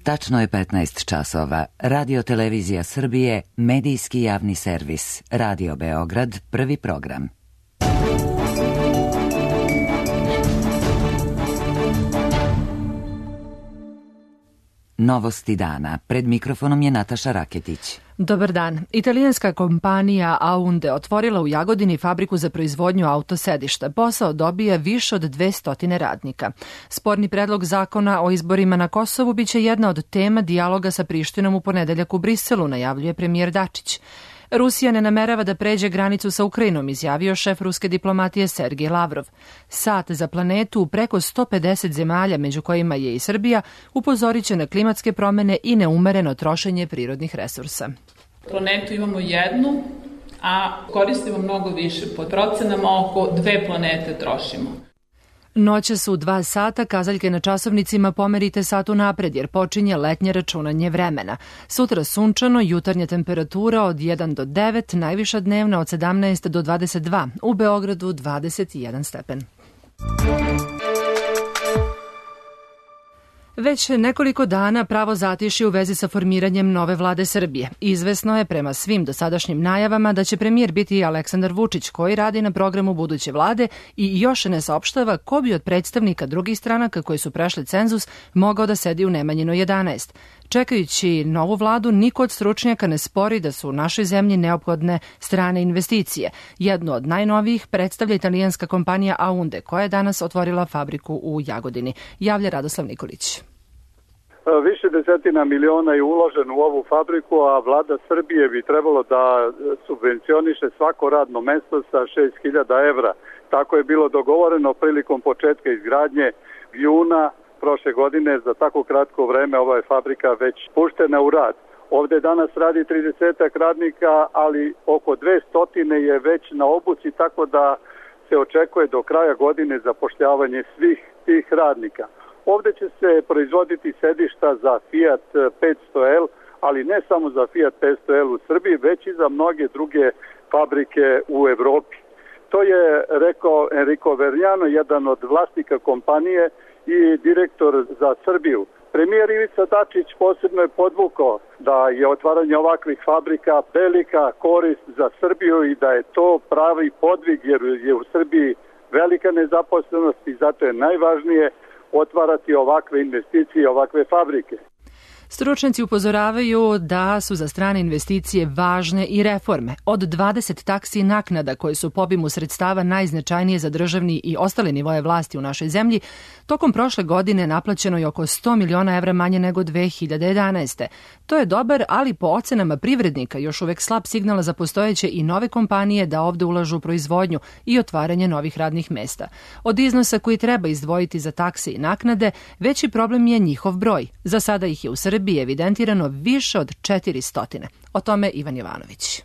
Tačno je 15 časova. Radio Televizija Srbije, medijski javni servis. Radio Beograd, prvi program. Novosti dana. Pred mikrofonom je Nataša Raketić. Dobar dan. Italijanska kompanija Aunde otvorila u Jagodini fabriku za proizvodnju autosedišta. Posao dobija više od 200 radnika. Sporni predlog zakona o izborima na Kosovu biće jedna od tema dijaloga sa Prištinom u ponedeljak u Briselu, najavljuje premijer Dačić. Rusija ne namerava da pređe granicu sa Ukrajinom, izjavio šef ruske diplomatije Sergej Lavrov. Sat za planetu u preko 150 zemalja, među kojima je i Srbija, upozorit će na klimatske promene i neumereno trošenje prirodnih resursa. Planetu imamo jednu, a koristimo mnogo više. Po procenama oko 2 planete trošimo. Noćas u 2 sata kazaljke na časovnicima pomerite satu napred jer počinje letnje računanje vremena. Sutra sunčano, jutarnja temperatura od 1 do 9, najviša dnevna od 17 do 22, u Beogradu 21 stepen. Već nekoliko dana pravo zatišje u vezi sa formiranjem nove vlade Srbije. Izvesno je prema svim dosadašnjim najavama da će premijer biti Aleksandar Vučić, koji radi na programu buduće vlade i još ne saopštava ko bi od predstavnika drugih stranaka koji su prešli cenzus mogao da sedi u Nemanjinoj 11. Čekajući novu vladu, niko od stručnjaka ne spori da su u našoj zemlji neophodne strane investicije. Jednu od najnovijih predstavlja italijanska kompanija Aunde, koja je danas otvorila fabriku u Jagodini. Javlja Radoslav Nikolić. Više desetina miliona je uloženo u ovu fabriku, a vlada Srbije bi trebalo da subvencioniše svako radno mesto sa 6.000 evra. Tako je bilo dogovoreno prilikom početka izgradnje juna prošle godine. Za tako kratko vreme ova je fabrika već puštena u rad. Ovde danas radi 30 radnika, ali oko 200 je već na obuci, tako da se očekuje do kraja godine zapošljavanje svih tih radnika. Ovde će se proizvoditi sedišta za Fiat 500L, ali ne samo za Fiat 500L u Srbiji, već i za mnoge druge fabrike u Evropi. To je rekao Enrico Vergnano, jedan od vlasnika kompanije i direktor za Srbiju. Premijer Ivica Dačić posebno je podvukao da je otvaranje ovakvih fabrika velika korist za Srbiju i da je to pravi podvig jer je u Srbiji velika nezaposlenost i zato je najvažnije otvarati ovakve investicije i ovakve fabrike. Stručnjaci upozoravaju da su za strane investicije važne i reforme. Od 20 taksi i naknada koje su po obimu sredstava najznačajnije za državni i ostale nivoje vlasti u našoj zemlji, tokom prošle godine naplaćeno je oko 100 miliona evra manje nego 2011. To je dobar, ali po ocenama privrednika još uvek slab signal za postojeće i nove kompanije da ovde ulažu u proizvodnju i otvaranje novih radnih mesta. Od iznosa koji treba izdvojiti za takse i naknade, veći problem je njihov broj. Za sada ih je u Srbiji evidentirano više od 400. O tome Ivan Jovanović.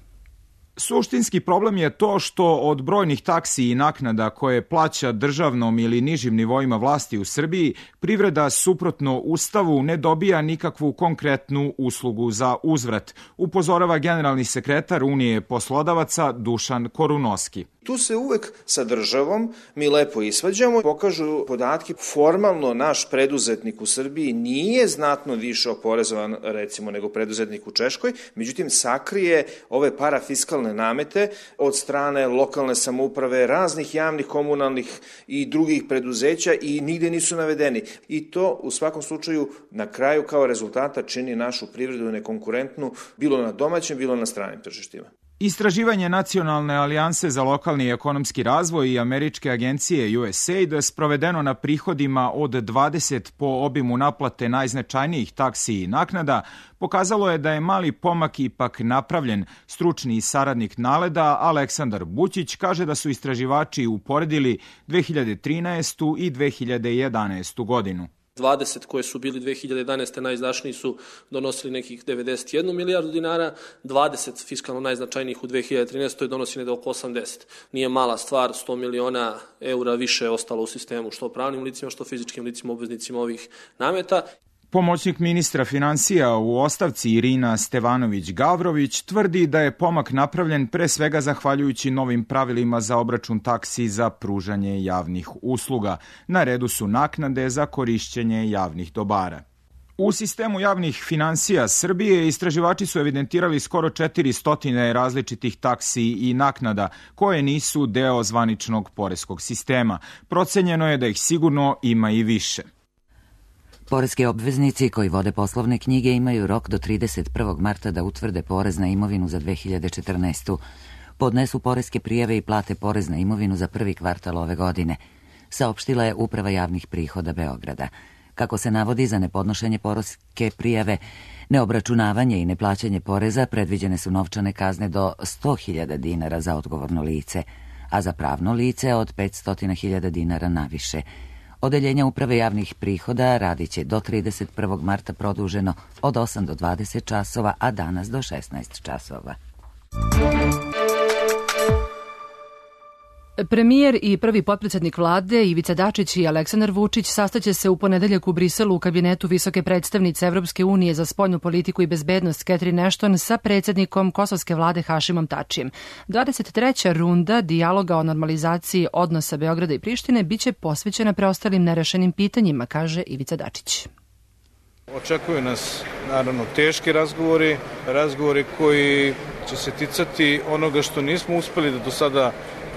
Suštinski problem je to što od brojnih taksi i naknada koje plaća državnom ili nižim nivoima vlasti u Srbiji, privreda suprotno Ustavu ne dobija nikakvu konkretnu uslugu za uzvrat, upozorava generalni sekretar Unije poslodavaca Dušan Korunoski. Tu se uvek sa državom mi lepo isvađamo, pokažu podatke. Formalno naš preduzetnik u Srbiji nije znatno više oporezovan recimo nego preduzetnik u Češkoj, međutim sakrije ove parafiskalne namete od strane lokalne samouprave, raznih javnih, komunalnih i drugih preduzeća i nigde nisu navedeni. I to u svakom slučaju na kraju kao rezultata čini našu privredu nekonkurentnu bilo na domaćem, bilo na stranim tržištima. Istraživanje Nacionalne alijanse za lokalni i ekonomski razvoj i američke agencije USAID sprovedeno na prihodima od 20 po obimu naplate najznačajnijih taksi i naknada pokazalo je da je mali pomak ipak napravljen. Stručni saradnik NALED-a Aleksandar Bućić kaže da su istraživači uporedili 2013. i 2011. godinu. 20 koje su bili 2011. najizdašniji su donosili nekih 91 milijardu dinara, 20 fiskalno najznačajnijih u 2013. donosi negde oko 80. Nije mala stvar, 100 miliona eura više je ostalo u sistemu, što pravnim licima, što fizičkim licima, obveznicima ovih nameta. Pomoćnik ministra finansija u ostavci Irina Stevanović-Gavrović tvrdi da je pomak napravljen pre svega zahvaljujući novim pravilima za obračun taksi za pružanje javnih usluga. Na redu su naknade za korišćenje javnih dobara. U sistemu javnih finansija Srbije istraživači su evidentirali skoro 400 različitih taksi i naknada koje nisu deo zvaničnog poreskog sistema. Procenjeno je da ih sigurno ima i više. Poreski obveznici koji vode poslovne knjige imaju rok do 31. marta da utvrde porez na imovinu za 2014. Podnesu poreske prijave i plate porez na imovinu za prvi kvartal ove godine, saopštila je Uprava javnih prihoda Beograda. Kako se navodi, za nepodnošenje poreske prijave, neobračunavanje i neplaćanje poreza predviđene su novčane kazne do 100.000 dinara za odgovorno lice, a za pravno lice od 500.000 dinara naviše. Odeljenja Uprave javnih prihoda radit će do 31. marta produženo od 8 do 20 časova, a danas do 16 časova. Premijer i prvi potpredsednik vlade Ivica Dačić i Aleksandar Vučić sastaće se u ponedeljak u Briselu u kabinetu visoke predstavnice Evropske unije za spoljnu politiku i bezbednost Catherine Ashton sa predsednikom kosovske vlade Hašimom Tačijem. 23. runda dijaloga o normalizaciji odnosa Beograda i Prištine biće posvećena preostalim nerešenim pitanjima, kaže Ivica Dačić. Očekuju nas, naravno, teški razgovori koji će se ticati onoga što nismo uspeli da do sada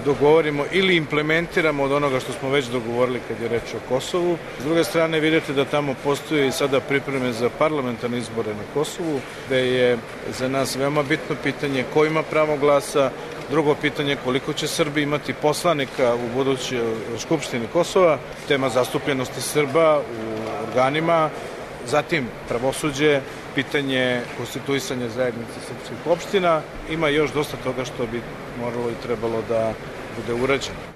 dogovorimo ili implementiramo od onoga što smo već dogovorili kad je reč o Kosovu. S druge strane, vidite da tamo postoje i sada pripreme za parlamentarne izbore na Kosovu, gde je za nas veoma bitno pitanje ko ima pravo glasa, drugo pitanje koliko će Srbi imati poslanika u budućoj Skupštini Kosova, tema zastupljenosti Srba u organima, zatim pravosuđe, pitanje konstituisanja zajednice srpskih opština. Ima još dosta toga što bi moralo i trebalo da bude urađeno.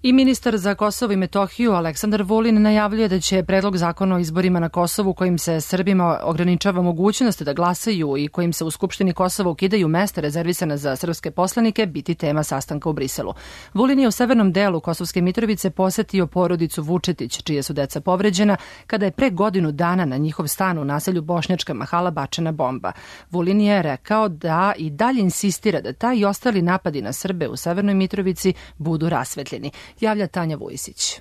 I ministar za Kosovo i Metohiju Aleksandar Vulin najavljuje da će predlog zakona o izborima na Kosovu kojim se Srbima ograničava mogućnost da glasaju i kojim se u Skupštini Kosova ukidaju mesta rezervisana za srpske poslanike biti tema sastanka u Briselu. Vulin je u severnom delu Kosovske Mitrovice posetio porodicu Vučetić, čije su deca povređena, kada je pre godinu dana na njihov stan u naselju Bošnjačka Mahala bačena bomba. Vulin je rekao da i dalje insistira da taj i ostali napadi na Srbe u severnoj Mitrovici budu rasvetljeni. Javlja Tanja Vujisić.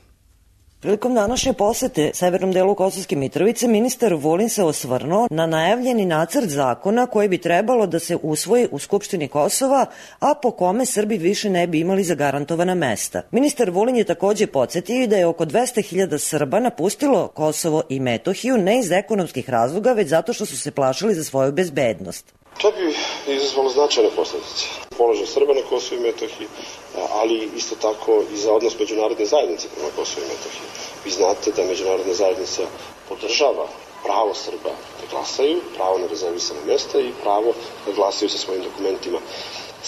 Prilikom današnje posete severnom delu Kosovske Mitrovice, ministar Vulin se osvrnuo na najavljeni nacrt zakona koji bi trebalo da se usvoji u Skupštini Kosova, a po kome Srbi više ne bi imali zagarantovana mesta. Ministar Vulin je takođe podsjetio da je oko 200.000 Srba napustilo Kosovo i Metohiju ne iz ekonomskih razloga, već zato što su se plašili za svoju bezbednost. To bi izazvalo značajne posledice. Položaj Srba na Kosovu i Metohiji, ali isto tako i za odnos međunarodne zajednice prema Kosovu i Metohiji. Vi znate da međunarodna zajednica podržava pravo Srba da glasaju, pravo na rezervisana mesta i pravo da glasaju sa svojim dokumentima.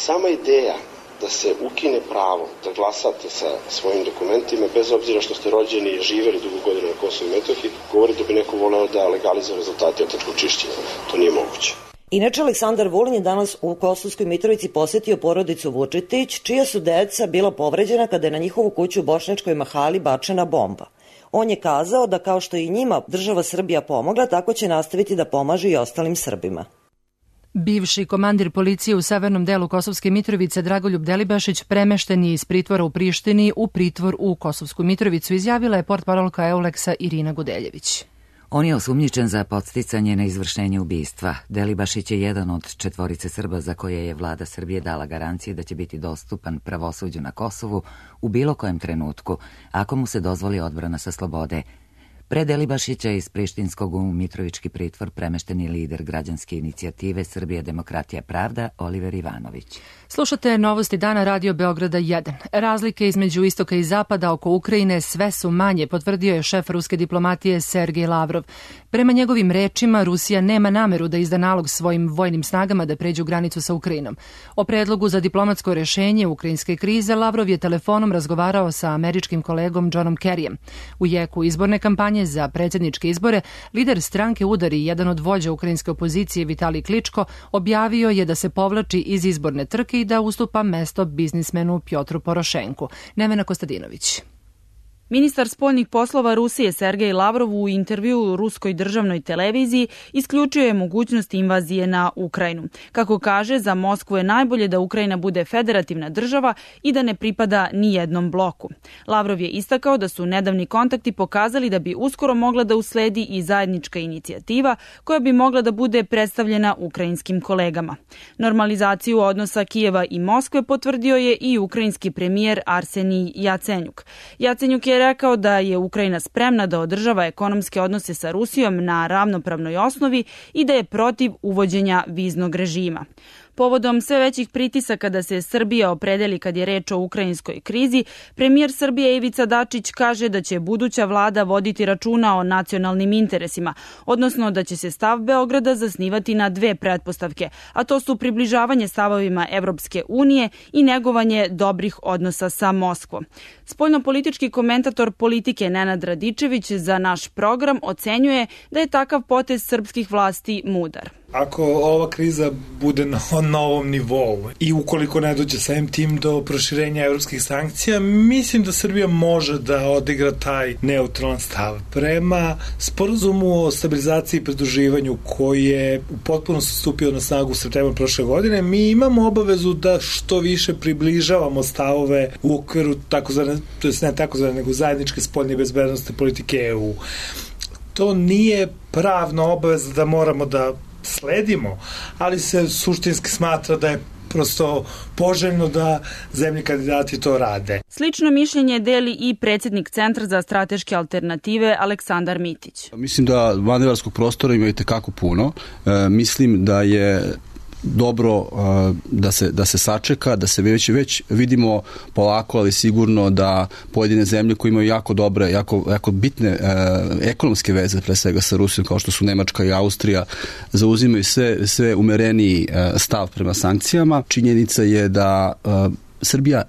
Sama ideja da se ukine pravo da glasate sa svojim dokumentima, bez obzira što ste rođeni i živeli dugo godina na Kosovu i Metohiji, govori da bi neko voleo da legalizuje rezultate etničkog čišćenja. To nije moguće. Inače, Aleksandar Vulin je danas u Kosovskoj Mitrovici posetio porodicu Vučetić, čija su deca bila povređena kada je na njihovu kuću u Bošnjačkoj Mahali bačena bomba. On je kazao da kao što i njima država Srbija pomogla, tako će nastaviti da pomaže i ostalim Srbima. Bivši komandir policije u severnom delu Kosovske Mitrovice Dragoljub Delibašić premešten je iz pritvora u Prištini u pritvor u Kosovsku Mitrovicu, izjavila je portparolka Euleksa Irina Gudeljević. On je osumnjičen za podsticanje na izvršenje ubistva. Delibašić je jedan od 4 Srba za koje je vlada Srbije dala garancije da će biti dostupan pravosuđu na Kosovu u bilo kojem trenutku, ako mu se dozvoli odbrana sa slobode. Pre Delibašića iz Prištinskog u Mitrovički pritvor premešten je lider građanske inicijative Srbija, demokratija, pravda Oliver Ivanović. Slušate Novosti dana Radio Beograda 1. Razlike između istoka i zapada oko Ukrajine sve su manje, potvrdio je šef ruske diplomatije Sergej Lavrov. Prema njegovim rečima, Rusija nema nameru da izda nalog svojim vojnim snagama da pređu granicu sa Ukrajinom. O predlogu za diplomatsko rešenje ukrajinske krize Lavrov je telefonom razgovarao sa američkim kolegom Johnom Kerryjem. U jeku izborne kampanje za predsjedničke izbore, lider stranke Udar i jedan od vođa ukrajinske opozicije Vitalij Kličko objavio je da se povlači iz izborne trke i da ustupa mesto biznismenu Pjotru Porošenku. Nevena Kostadinović. Ministar spoljnih poslova Rusije Sergej Lavrov u intervjuu ruskoj državnoj televiziji isključio je mogućnost invazije na Ukrajinu. Kako kaže, za Moskvu je najbolje da Ukrajina bude federativna država i da ne pripada ni jednom bloku. Lavrov je istakao da su nedavni kontakti pokazali da bi uskoro mogla da usledi i zajednička inicijativa koja bi mogla da bude predstavljena ukrajinskim kolegama. Normalizaciju odnosa Kijeva i Moskve potvrdio je i ukrajinski premijer Arsenij Jacenjuk. Jacenjuk je rekao da je Ukrajina spremna da održava ekonomske odnose sa Rusijom na ravnopravnoj osnovi i da je protiv uvođenja viznog režima. Povodom sve većih pritisaka da se Srbija opredeli kad je reč o ukrajinskoj krizi, premijer Srbije Ivica Dačić kaže da će buduća vlada voditi računa o nacionalnim interesima, odnosno da će se stav Beograda zasnivati na dve pretpostavke, a to su približavanje stavovima Evropske unije i negovanje dobrih odnosa sa Moskvom. Spoljnopolitički komentator politike Nenad Radičević za naš program ocenjuje da je takav potez srpskih vlasti mudar. Ako ova kriza bude na novom nivou i ukoliko ne dođe samim tim do proširenja evropskih sankcija, mislim da Srbija može da odigra taj neutralan stav. Prema sporazumu o stabilizaciji i pridruživanju koji je u potpunosti stupio na snagu u septembru prošle godine, mi imamo obavezu da što više približavamo stavove u okviru takozvane, to jest ne takozvane, nego zajedničke spoljne i bezbednosne politike EU. To nije pravna obaveza da moramo da sledimo, ali se suštinski smatra da je prosto poželjno da zemlje kandidati to rade. Slično mišljenje deli i predsjednik Centra za strateške alternative Aleksandar Mitić. Mislim da manevarskog prostora ima i tekako puno. Mislim da je dobro da se sačeka, da se već vidimo polako, ali sigurno da pojedine zemlje koje imaju jako dobre, jako bitne ekonomske veze, pre svega sa Rusijom, kao što su Nemačka i Austrija, zauzimaju sve umereniji stav prema sankcijama. Činjenica je da Srbija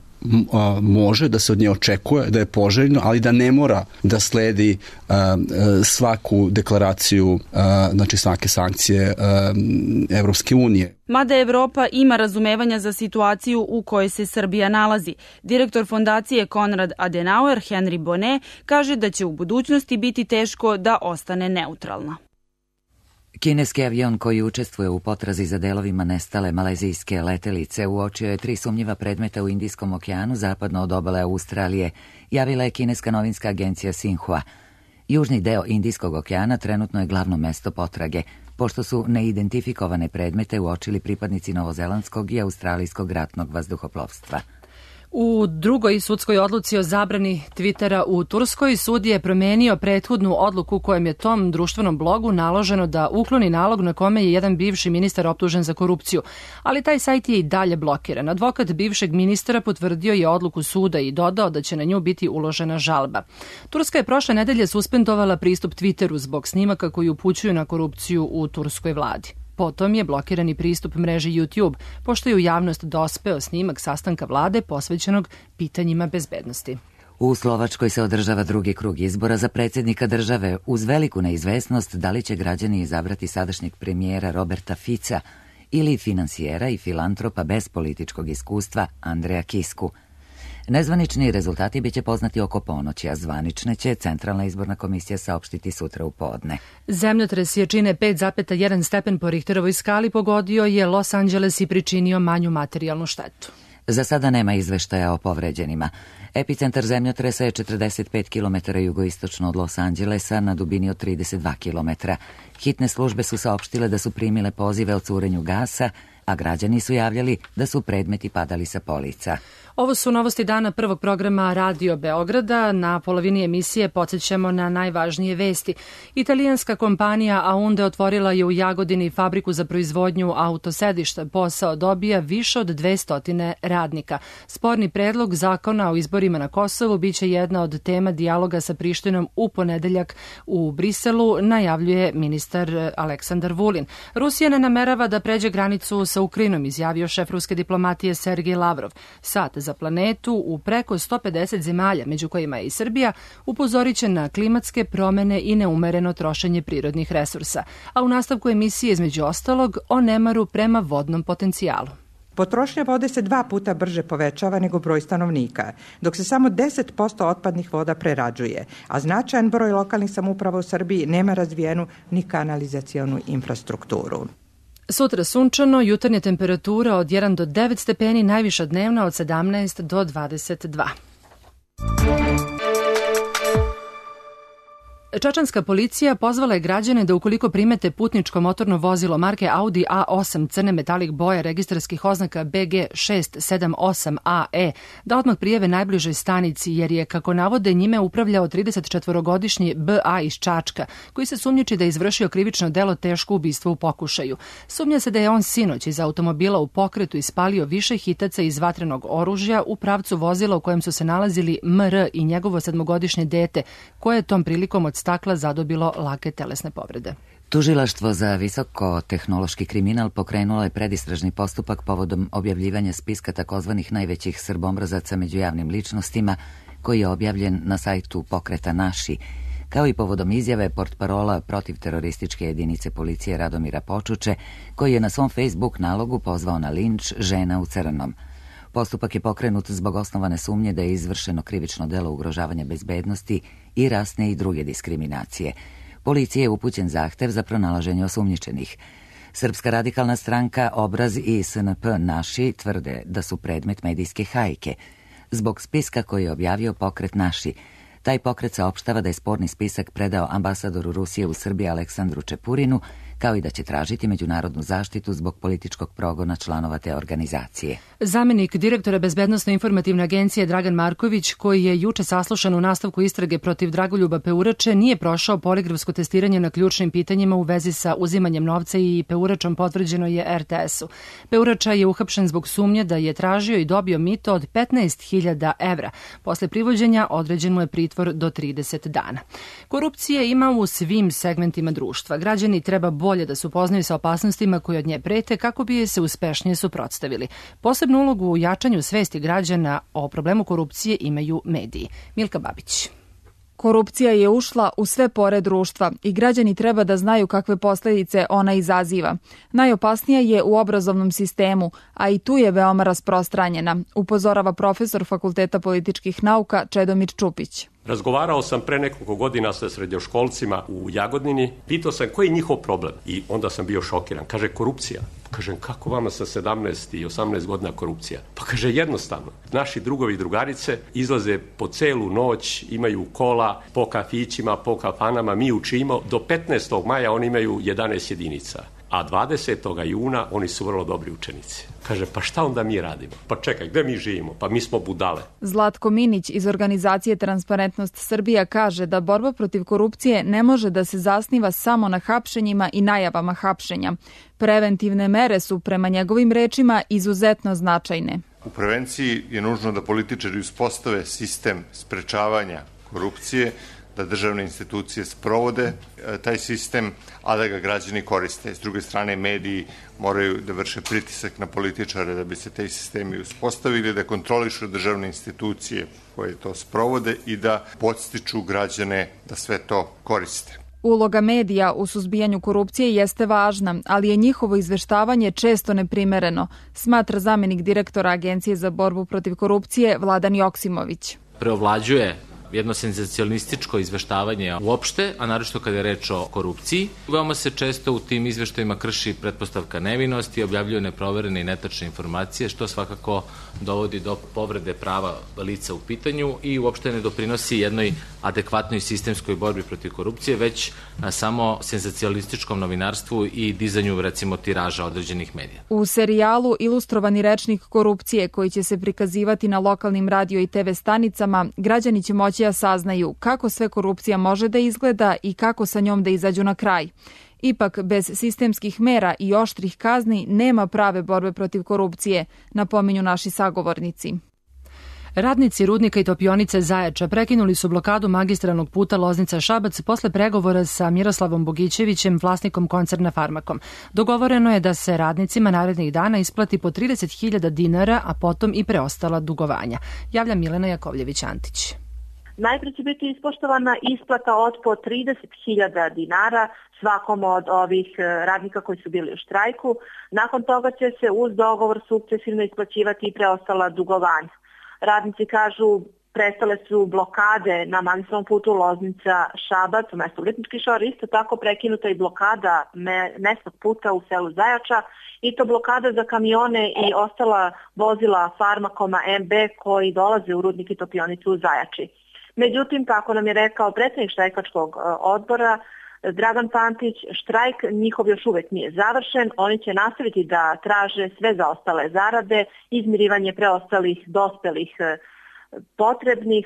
može, da se od nje očekuje, da je poželjno, ali da ne mora da sledi svaku deklaraciju, znači svake sankcije Evropske unije. Mada Evropa ima razumevanja za situaciju u kojoj se Srbija nalazi. Direktor fondacije Konrad Adenauer, Henry Bonnet, kaže da će u budućnosti biti teško da ostane neutralna. Kineski avion koji učestvuje u potrazi za delovima nestale malezijske letelice uočio je 3 sumnjiva predmeta u Indijskom okeanu zapadno od obale Australije, javila je kineska novinska agencija Xinhua. Južni deo Indijskog okeana trenutno je glavno mesto potrage, pošto su neidentifikovane predmete uočili pripadnici novozelandskog i australijskog ratnog vazduhoplovstva. U drugoj sudskoj odluci o zabrani Twittera u Turskoj sud je promenio prethodnu odluku kojem je tom društvenom blogu naloženo da ukloni nalog na kome je jedan bivši ministar optužen za korupciju, ali taj sajt je i dalje blokiran. Advokat bivšeg ministra potvrdio je odluku suda i dodao da će na nju biti uložena žalba. Turska je prošle nedelje suspendovala pristup Twitteru zbog snimaka koji upućuju na korupciju u turskoj vladi. Potom je blokirani pristup mreži YouTube, pošto je u javnost dospeo snimak sastanka vlade posvećenog pitanjima bezbednosti. U Slovačkoj se održava drugi krug izbora za predsjednika države uz veliku neizvesnost da li će građani izabrati sadašnjeg premijera Roberta Fica ili finansijera i filantropa bez političkog iskustva Andreja Kisku. Nezvanični rezultati biće poznati oko ponoći, a zvanične će Centralna izborna komisija saopštiti sutra u podne. Zemljotres jačine 5,1 stepen po Richterovoj skali pogodio je Los Angeles i pričinio manju materijalnu štetu. Za sada nema izveštaja o povređenima. Epicentar zemljotresa je 45 km jugoistočno od Los Angelesa na dubini od 32 km. Hitne službe su saopštile da su primile pozive o curenju gasa, a građani su javljali da su predmeti padali sa polica. Ovo su novosti dana prvog programa Radio Beograda. Na polovini emisije podsjećamo na najvažnije vesti. Italijanska kompanija Aunde otvorila je u Jagodini fabriku za proizvodnju autosedišta. Posao dobija više od 200 radnika. Sporni predlog zakona o izborima na Kosovu biće jedna od tema dijaloga sa Prištinom u ponedeljak u Briselu, najavljuje ministar Aleksandar Vulin. Rusija ne namerava da pređe granicu sa Ukrajinom, izjavio šef ruske diplomatije Sergej Lavrov. Sat za planetu u preko 150 zemalja, među kojima je i Srbija, upozorit će na klimatske promene i neumereno trošenje prirodnih resursa. A u nastavku emisije, između ostalog, o nemaru prema vodnom potencijalu. Potrošnja vode se 2 puta brže povećava nego broj stanovnika, dok se samo 10% otpadnih voda prerađuje, a značajan broj lokalnih samouprava u Srbiji nema razvijenu ni kanalizacionu infrastrukturu. Sutra sunčano, jutarnja temperatura od 1 do 9 stepeni, najviša dnevna od 17 do 22. Čačanska policija pozvala je građane da ukoliko primete putničko motorno vozilo marke Audi A8 crne metalik boje registarskih oznaka BG 678AE, da odmah prijave najbližoj stanici, jer je, kako navode, njime upravljao 34-godišnji BA iz Čačka, koji se sumnjiči da je izvršio krivično delo teško ubistvo u pokušaju. Sumnja se da je on sinoć iz automobila u pokretu ispalio više hitaca iz vatrenog oružja u pravcu vozila u kojem su se nalazili MR i njegovo 7-godišnje dete, koje je tom prilikom od stakla zadobilo lake telesne povrede. Tužilaštvo za visoko-tehnološki kriminal pokrenulo je predistražni postupak povodom objavljivanja spiska takozvanih najvećih srbomrazaca među javnim ličnostima, koji je objavljen na sajtu pokreta Naši, kao i povodom izjave portparola protivterorističke jedinice policije Radomira Počuče, koji je na svom Facebook nalogu pozvao na linč žena u crnom. Postupak je pokrenut zbog osnovane sumnje da je izvršeno krivično delo ugrožavanja bezbednosti i rasne i druge diskriminacije. Policiji je upućen zahtev za pronalaženje osumnjičenih. Srpska radikalna stranka, Obraz i SNP Naši tvrde da su predmet medijske hajke. Zbog spiska koji je objavio pokret Naši, taj pokret saopštava da je sporni spisak predao ambasadoru Rusije u Srbiji Aleksandru Čepurinu, kao i da će tražiti međunarodnu zaštitu zbog političkog progona članova te organizacije. Zamenik direktora Bezbednosno-informativne agencije Dragan Marković, koji je juče saslušan u nastavku istrage protiv Dragoljuba Peurače, nije prošao poligrafsko testiranje na ključnim pitanjima u vezi sa uzimanjem novca i Peuračom potvrđeno je RTS-u. Peurača je uhapšen zbog sumnje da je tražio i dobio mito od 15.000 evra. Posle privođenja određen mu je pritvor do 30 dana. Korupcije ima u svim segmentima društva. Građani treba bolje da se upoznaju sa opasnostima koje od nje prete kako bi je se uspešnije suprotstavili. Posebnu ulogu u jačanju svesti građana o problemu korupcije imaju mediji. Milka Babić. Korupcija je ušla u sve pore društva i građani treba da znaju kakve posledice ona izaziva. Najopasnija je u obrazovnom sistemu, a i tu je veoma rasprostranjena, upozorava profesor Fakulteta političkih nauka Čedomir Čupić. Razgovarao sam pre nekoliko godina sa srednjoškolcima u Jagodini, pitao sam koji je njihov problem i onda sam bio šokiran. Kaže, korupcija. Kažem, kako vama sa 17 i 18 godina korupcija? Pa kaže, jednostavno. Naši drugovi i drugarice izlaze po celu noć, imaju kola po kafićima, po kafanama, mi učimo. Do 15. maja oni imaju 11 jedinica. A 20. juna oni su vrlo dobri učenici. Kaže, pa šta onda mi radimo? Pa čekaj, gde mi živimo? Pa mi smo budale. Zlatko Minić iz organizacije Transparentnost Srbija kaže da borba protiv korupcije ne može da se zasniva samo na hapšenjima i najavama hapšenja. Preventivne mere su, prema njegovim rečima, izuzetno značajne. U prevenciji je nužno da političari uspostave sistem sprečavanja korupcije, da državne institucije sprovode taj sistem, a da ga građani koriste. S druge strane, mediji moraju da vrše pritisak na političare da bi se taj sistemi uspostavili, da kontrolišu državne institucije koje to sprovode i da podstiču građane da sve to koriste. Uloga medija u suzbijanju korupcije jeste važna, ali je njihovo izveštavanje često neprimereno, smatra zamenik direktora Agencije za borbu protiv korupcije Vladan Joksimović. Preovlađuje jedno senzacionalističko izveštavanje uopšte, a naročito kada je reč o korupciji. Veoma se često u tim izveštajima krši pretpostavka nevinosti, objavljuju neproverene i netačne informacije, što svakako dovodi do povrede prava lica u pitanju i uopšte ne doprinosi jednoj adekvatnoj sistemskoj borbi protiv korupcije, već samo senzacionalističkom novinarstvu i dizanju, recimo, tiraža određenih medija. U serijalu Ilustrovani rečnik korupcije, koji će se prikazivati na lokalnim radio i TV stanicama, građani će moći da saznaju kako sve korupcija može da izgleda i kako sa njom da izađu na kraj. Ipak, bez sistemskih mera i oštrih kazni nema prave borbe protiv korupcije, napominju naši sagovornici. Radnici rudnika i topionice Zaječa prekinuli su blokadu magistralnog puta Loznica-Šabac posle pregovora sa Miroslavom Bogićevićem, vlasnikom koncerna Farmakom. Dogovoreno je da se radnicima narednih dana isplati po 30.000 dinara, a potom i preostala dugovanja. Javlja Milena Jakovljević-Antić. Najprej će biti ispoštovana isplata od po 30.000 dinara svakom od ovih radnika koji su bili u štrajku. Nakon toga će se uz dogovor sukcesivno isplaćivati i preostala dugovanja. Radnici kažu prestale su blokade na magistralnom putu Loznica-Šabac u mestu Lipnički Šor, isto tako prekinuta i blokada mesnog puta u selu Zajača i to blokada za kamione i ostala vozila Farmakoma MB koji dolaze u rudnik i topionicu u Zajači. Međutim, kako nam je rekao predsjednik štrajkačkog odbora Dragan Pantić, štrajk njihov još uvek nije završen, oni će nastaviti da traže sve zaostale zarade, izmirivanje preostalih dospelih potrebnih,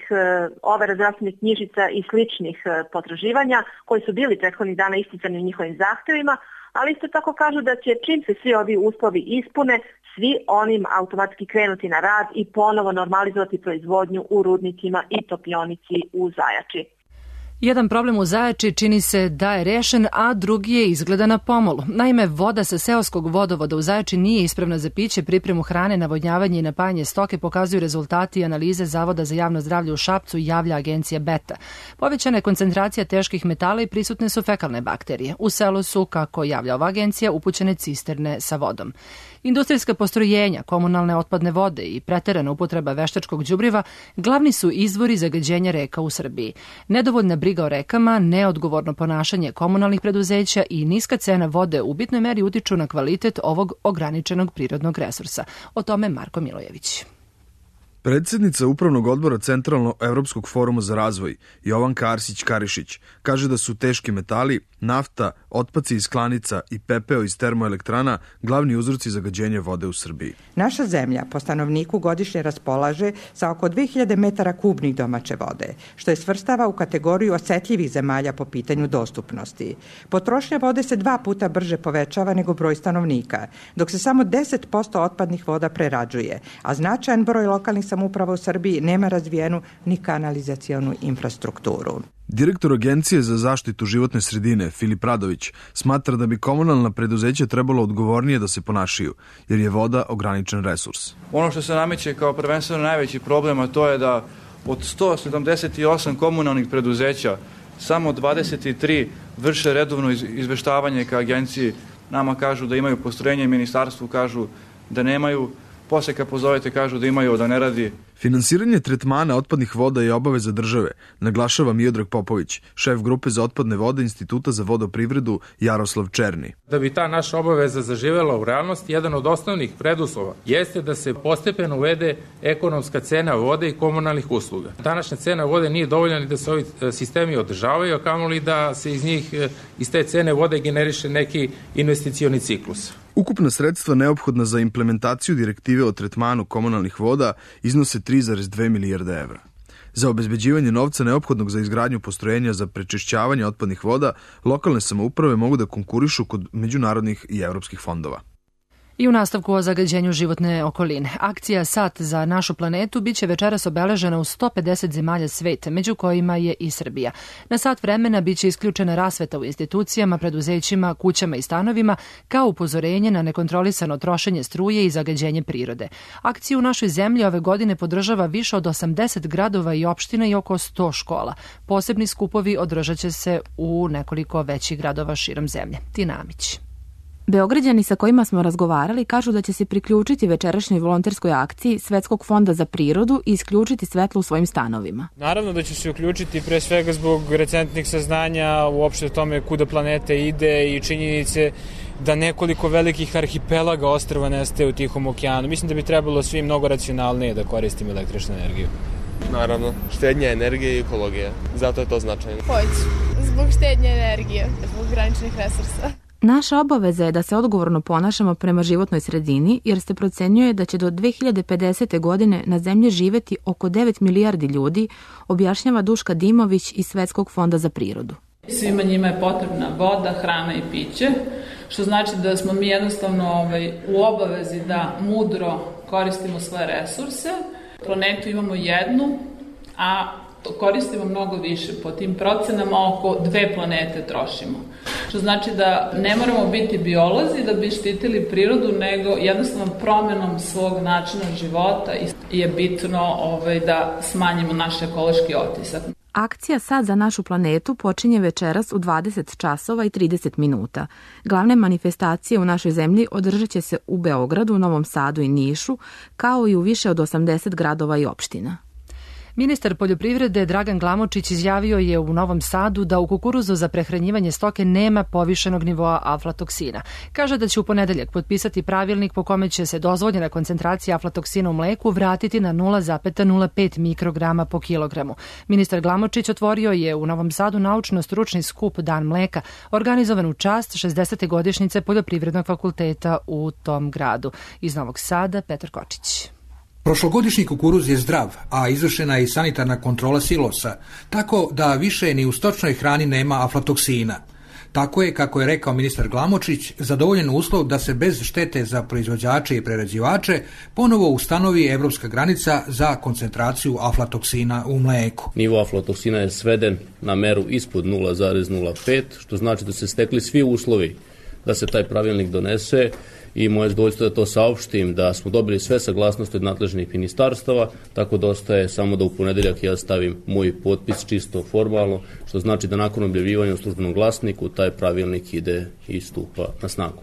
overa zdravstvenih knjižica i sličnih potraživanja koji su bili prethodnih dana isticani u njihovim zahtevima, ali isto tako kažu da će čim se svi ovi uslovi ispune, svi onim automatski krenuti na rad i ponovo normalizovati proizvodnju u rudnicima i topionici u Zajači. Jedan problem u Zajači čini se da je rešen, a drugi je izgleda na pomolu. Naime, voda sa seoskog vodovoda u Zajači nije ispravna za piće, pripremu hrane, navodnjavanje i napajanje stoke pokazuju rezultati analize Zavoda za javno zdravlje u Šapcu, javlja agencija Beta. Povećana je koncentracija teških metala i prisutne su fekalne bakterije. U selu su, kako javlja ova agencija, upućene cisterne sa vodom. Industrijska postrojenja, komunalne otpadne vode i preterana upotreba veštačkog đubriva glavni su izvori zagađenja reka u Srbiji. Nedovoljna briga o rekama, neodgovorno ponašanje komunalnih preduzeća i niska cena vode u bitnoj meri utiču na kvalitet ovog ograničenog prirodnog resursa. O tome Marko Milojević. Predsjednica Upravnog odbora Centralno-evropskog foruma za razvoj, Jovanka Arsić-Karišić, kaže da su teški metali, nafta, otpaci iz klanica i pepeo iz termoelektrana glavni uzroci zagađenja vode u Srbiji. Naša zemlja po stanovniku godišnje raspolaže sa oko 2000 metara kubnih domaće vode, što je svrstava u kategoriju osetljivih zemalja po pitanju dostupnosti. Potrošnja vode se 2 puta brže povećava nego broj stanovnika, dok se samo 10% otpadnih voda prerađuje, a značajan broj lokalnih samouprava u Srbiji nema razvijenu ni kanalizacionu infrastrukturu. Direktor Agencije za zaštitu životne sredine, Filip Radović, smatra da bi komunalna preduzeća trebalo odgovornije da se ponašaju, jer je voda ograničen resurs. Ono što se nameće kao prvenstveno najveći problem, a to je da od 178 komunalnih preduzeća samo 23 vrše redovno izveštavanje ka agenciji. Nama kažu da imaju postrojenje i ministarstvu kažu da nemaju. Posle kad pozovete kažu da imaju, da ne radi. Finansiranje tretmana otpadnih voda je obaveza države, naglašava Miodrag Popović, šef grupe za otpadne vode Instituta za vodoprivredu Jaroslav Černi. Da bi ta naša obaveza zaživela u realnosti, jedan od osnovnih preduslova jeste da se postepeno uvede ekonomska cena vode i komunalnih usluga. Današnja cena vode nije dovoljna ni da se ovi sistemi održavaju, a kamoli da se iz te cene vode generiše neki investicioni ciklus. Ukupna sredstva neophodna za implementaciju direktive o tretmanu komunalnih voda iznose 3,2 milijarde evra. Za obezbeđivanje novca neophodnog za izgradnju postrojenja za prečišćavanje otpadnih voda, lokalne samouprave mogu da konkurišu kod međunarodnih i evropskih fondova. I u nastavku o zagađenju životne okoline. Akcija Sat za našu planetu biće večeras obeležena u 150 zemalja sveta, među kojima je i Srbija. Na sat vremena biće isključena rasveta u institucijama, preduzećima, kućama i stanovima, kao upozorenje na nekontrolisano trošenje struje i zagađenje prirode. Akciju u našoj zemlji ove godine podržava više od 80 gradova i opština i oko 100 škola. Posebni skupovi održat će se u nekoliko većih gradova širom zemlje. Tina Amić. Beograđani sa kojima smo razgovarali kažu da će se priključiti večerašnjoj volonterskoj akciji Svetskog fonda za prirodu i isključiti svetlo u svojim stanovima. Naravno da će se uključiti pre svega zbog recentnih saznanja uopšte o tome kuda planeta ide i činjenice da nekoliko velikih arhipelaga ostrva nestaje u Tihom okeanu. Mislim da bi trebalo svi mnogo racionalnije da koristimo električnu energiju. Naravno, štednja energije i ekologija. Zato je to značajno. Hoću, zbog štednje energije, zbog graničnih resursa. Naša obaveza je da se odgovorno ponašamo prema životnoj sredini, jer se procenjuje da će do 2050. godine na zemlji živeti oko 9 milijardi ljudi, objašnjava Duška Dimović iz Svetskog fonda za prirodu. Svima njima je potrebna voda, hrana i piće, što znači da smo mi jednostavno u obavezi da mudro koristimo svoje resurse. Planetu imamo jednu, a koristimo mnogo više. Po tim procenama oko 2 planete trošimo. što znači da ne moramo biti biolozi da bi štitili prirodu, nego jednostavno promenom svog načina života je bitno da smanjimo naš ekološki otisak. Akcija Sad za našu planetu počinje večeras u 20 časova i 30 minuta. Glavne manifestacije u našoj zemlji održat će se u Beogradu, Novom Sadu i Nišu, kao i u više od 80 gradova i opština. Ministar poljoprivrede Dragan Glamočić izjavio je u Novom Sadu da u kukuruzu za prehranjivanje stoke nema povišenog nivoa aflatoksina. Kaže da će u ponedeljak potpisati pravilnik po kome će se dozvoljena koncentracija aflatoksina u mleku vratiti na 0,05 mikrograma po kilogramu. Ministar Glamočić otvorio je u Novom Sadu naučno-stručni skup Dan mleka, organizovan u čast 60. godišnjice Poljoprivrednog fakulteta u tom gradu. Iz Novog Sada, Petar Kočić. Prošlogodišnji kukuruz je zdrav, a izvršena je i sanitarna kontrola silosa, tako da više ni u stočnoj hrani nema aflatoksina. Tako je, kako je rekao ministar Glamočić, zadovoljen uslov da se bez štete za proizvođače i prerađivače ponovo ustanovi evropska granica za koncentraciju aflatoksina u mleku. Nivo aflatoksina je sveden na meru ispod 0,05, što znači da se stekli svi uslovi da se taj pravilnik donese. I moje zadovoljstvo da to saopštim, da smo dobili sve saglasnosti od nadležnih ministarstava, tako da ostaje samo da u ponedeljak ja stavim moj potpis čisto formalno, što znači da nakon objavljivanja u službenom glasniku taj pravilnik ide i stupa na snagu.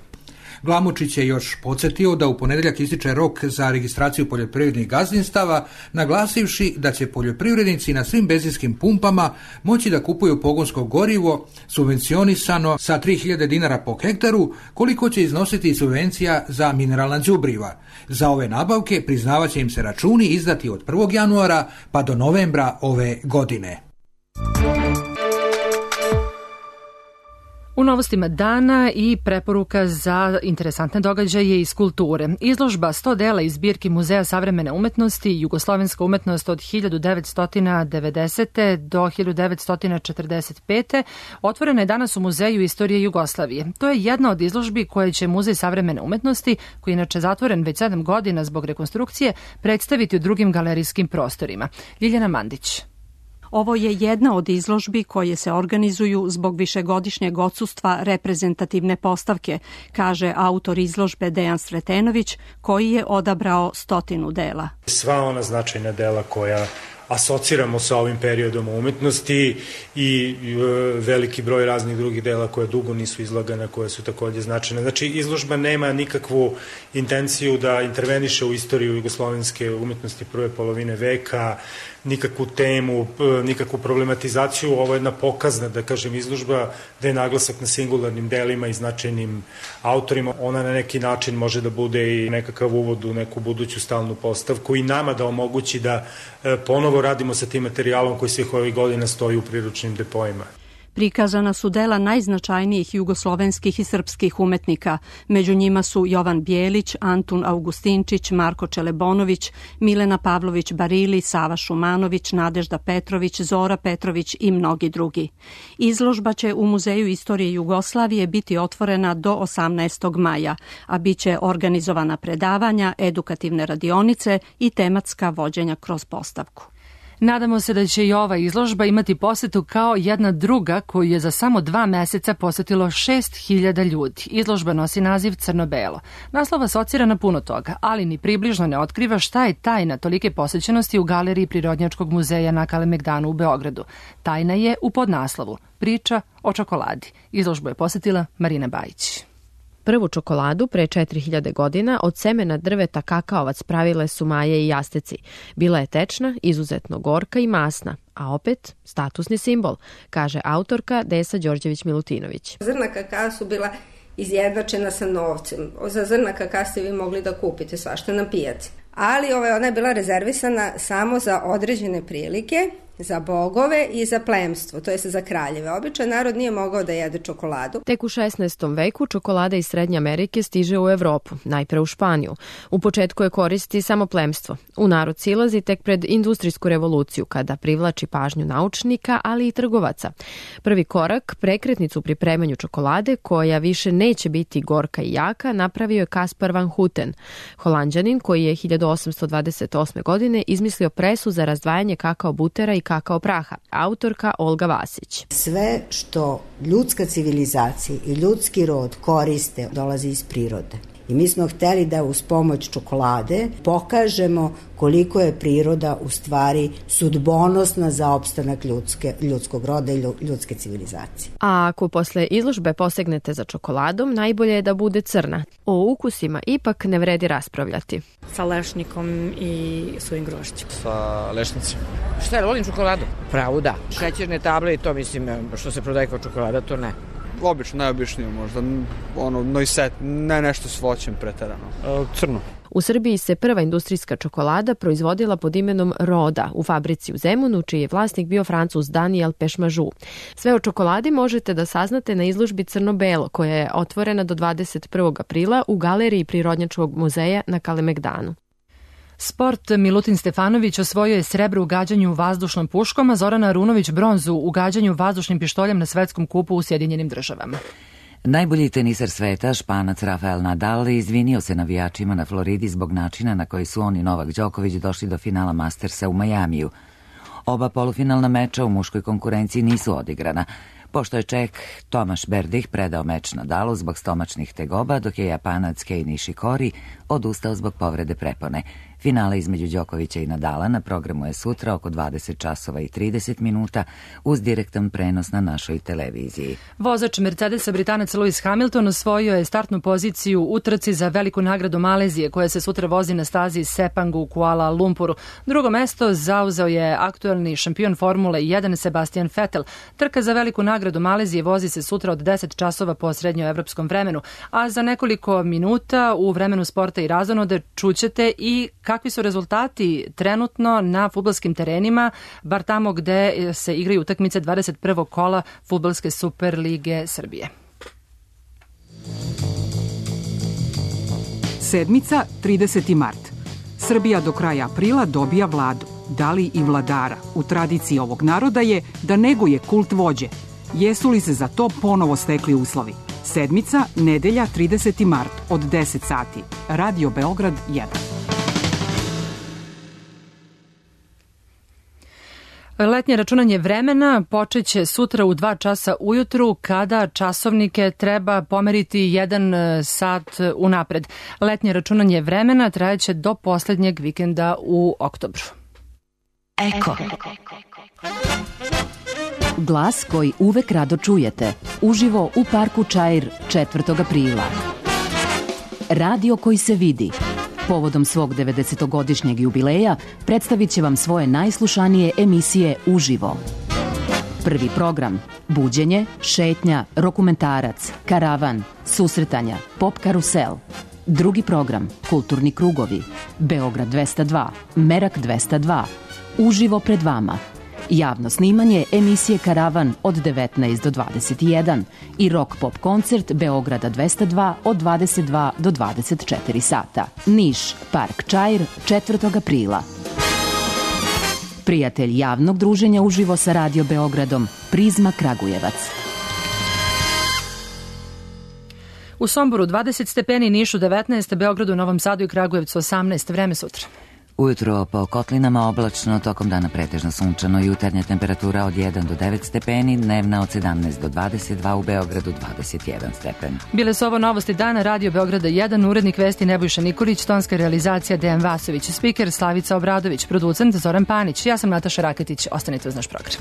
Glamočić je još podsjetio da u ponedeljak ističe rok za registraciju poljoprivrednih gazdinstava, naglasivši da će poljoprivrednici na svim benzinskim pumpama moći da kupuju pogonsko gorivo subvencionisano sa 3000 dinara po hektaru, koliko će iznositi subvencija za mineralna đubriva. Za ove nabavke priznavaće im se računi izdati od 1. januara pa do novembra ove godine. U novostima dana i preporuka za interesantne događaje iz kulture. Izložba 100 dela iz zbirki Muzeja savremene umetnosti Jugoslovenska umetnost od 1990. do 1945. otvorena je danas u Muzeju istorije Jugoslavije. To je jedna od izložbi koje će Muzej savremene umetnosti, koji je inače zatvoren već 7 godina zbog rekonstrukcije, predstaviti u drugim galerijskim prostorima. Ljiljana Mandić. Ovo je jedna od izložbi koje se organizuju zbog višegodišnjeg odsustva reprezentativne postavke, kaže autor izložbe Dejan Sretenović, koji je odabrao 100 dela. Sva ona značajna dela koja asociramo sa ovim periodom umetnosti i veliki broj raznih drugih dela koja dugo nisu izlagana, koje su takođe značajne. Znači, izložba nema nikakvu intenciju da interveniše u istoriju jugoslovenske umetnosti prve polovine veka, nikakvu temu, nikakvu problematizaciju. Ovo je jedna pokazna, da kažem, izložba gde je naglasak na singularnim delima i značajnim autorima. Ona na neki način može da bude i nekakav uvod u neku buduću stalnu postavku i nama da omogući da ponovo radimo sa tim materijalom koji svih ovih godina stoji u priručnim depoima. Prikazana su dela najznačajnijih jugoslovenskih i srpskih umetnika. Među njima su Jovan Bjelić, Antun Augustinčić, Marko Čelebonović, Milena Pavlović Barili, Sava Šumanović, Nadežda Petrović, Zora Petrović i mnogi drugi. Izložba će u Muzeju istorije Jugoslavije biti otvorena do 18. maja, a biće organizovana predavanja, edukativne radionice i tematska vođenja kroz postavku. Nadamo se da će i ova izložba imati posetu kao jedna druga koju je za samo 2 meseca posetilo 6.000 ljudi. Izložba nosi naziv Crno-belo. Naslov asocira na puno toga, ali ni približno ne otkriva šta je tajna tolike posećenosti u galeriji Prirodnjačkog muzeja na Kalemegdanu u Beogradu. Tajna je u podnaslovu Priča o čokoladi. Izložbu je posetila Marina Bajić. Prvu čokoladu pre 4000 godina od semena drveta kakaovac pravile su Maje i Jasteci. Bila je tečna, izuzetno gorka i masna, a opet statusni simbol, kaže autorka Desa Đorđević-Milutinović. Zrna kakao su bila izjednačena sa novcem. Za zrna kakao ste vi mogli da kupite svašta na pijaci. Ali ona je bila rezervisana samo za određene prilike, za bogove i za plemstvo, to jest za kraljeve. Običan narod nije mogao da jede čokoladu. Tek u 16. veku čokolada iz Srednje Amerike stiže u Evropu, najpre u Španiju. U početku je koristi samo plemstvo. U narod silazi tek pred industrijsku revoluciju, kada privlači pažnju naučnika, ali i trgovaca. Prvi korak, prekretnicu u pripremanju čokolade, koja više neće biti gorka i jaka, napravio je Kaspar van Houten, Holanđanin koji je 1828. godine izmislio presu za razdvajanje kakao butera i kakao praha. Autorka Olga Vasić. Sve što ljudska civilizacija i ljudski rod koriste dolazi iz prirode. I mi smo hteli da uz pomoć čokolade pokažemo koliko je priroda u stvari sudbonosna za opstanak ljudskog roda i ljudske civilizacije. A ako posle izložbe posegnete za čokoladom, najbolje je da bude crna. O ukusima ipak ne vredi raspravljati. Sa lešnikom i suvim grožđem. Sa lešnicima. Šta je, volim čokoladu? Pravo da. Šećerne table i to mislim što se prodaje kao čokolada, to ne. Obično, najobičnije možda, noiset, ne nešto s voćem preterano. Crno. U Srbiji se prva industrijska čokolada proizvodila pod imenom Roda u fabrici u Zemunu, čiji je vlasnik bio Francuz Daniel Pešmažu. Sve o čokoladi možete da saznate na izložbi Crno-belo, koja je otvorena do 21. aprila u galeriji Prirodnjačkog muzeja na Kalemegdanu. Sport. Milutin Stefanović osvojio je srebro u gađanju vazdušnom puškom, a Zoran Arunović bronzu u gađanju vazdušnim pištoljem na svetskom kupu u Sjedinjenim Državama. Najbolji teniser sveta, Španac Rafael Nadal, izvinio se navijačima na Floridi zbog načina na koji su on i Novak Đoković došli do finala Mastersa u Majamiju. Oba polufinalna meča u muškoj konkurenciji nisu odigrana, pošto je Čeh Tomaš Berdih predao meč Nadalu zbog stomačnih tegoba, dok je Japanac Kei Nishikori odustao zbog povrede prepone. Finale između Đokovića i Nadala na programu je sutra oko 20 časova i 30 minuta uz direktan prenos na našoj televiziji. Vozač Mercedesa Britanac Lewis Hamilton osvojio je startnu poziciju u trci za veliku nagradu Malezije koja se sutra vozi na stazi Sepang u Kuala Lumpuru. Drugo mesto zauzeo je aktuelni šampion Formule 1 Sebastian Vettel. Trka za veliku nagradu Malezije vozi se sutra od 10 časova po srednjoevropskom vremenu, a za nekoliko minuta u vremenu sporta i razonode čućete i kakvi su rezultati trenutno na fudbalskim terenima, bar tamo gde se igraju utakmice 21. kola Fudbalske Super lige Srbije. Sedmica, 30. mart. Srbija do kraja aprila dobija vladu. Da li i vladara? U tradiciji ovog naroda je da neguje kult vođe. Jesu li se za to ponovo stekli uslovi? Sedmica, nedelja, 30. mart, od 10 sati. Radio Beograd 1. Letnje računanje vremena počeće sutra u 2 časa ujutru kada časovnike treba pomeriti 1 sat unapred. Letnje računanje vremena trajeće do poslednjeg vikenda u oktobru. Eko. Glas koji uvek rado čujete. Uživo u parku Čair 4. aprila. Radio koji se vidi. Povodom svog 90-godišnjeg jubileja predstavit će vam svoje najslušanije emisije uživo. Prvi program – buđenje, šetnja, dokumentarac, karavan, susretanja, pop karusel. Drugi program – kulturni krugovi, Beograd 202, Merak 202, uživo pred vama. Javno snimanje emisije Karavan od 19 do 21 i rock pop koncert Beograda 202 od 22 do 24 sata. Niš, Park Čair, 4. aprila. Prijatelj javnog druženja uživo sa Radio Beogradom, Prizma Kragujevac. U Somboru 20 stepeni, Nišu 19, Beogradu, Novom Sadu i Kragujevcu 18. Vreme sutra. Ujutro po kotlinama oblačno, tokom dana pretežno sunčano, jutarnja temperatura od 1 do 9 stepeni, dnevna od 17 do 22, u Beogradu 21 stepen. Bile su ovo novosti dana, Radio Beograda 1, urednik vesti Nebojša Nikolić, tonska realizacija Dejan Vasović, spiker Slavica Obradović, producent Zoran Panić. Ja sam Nataša Raketić, ostanite uz naš program.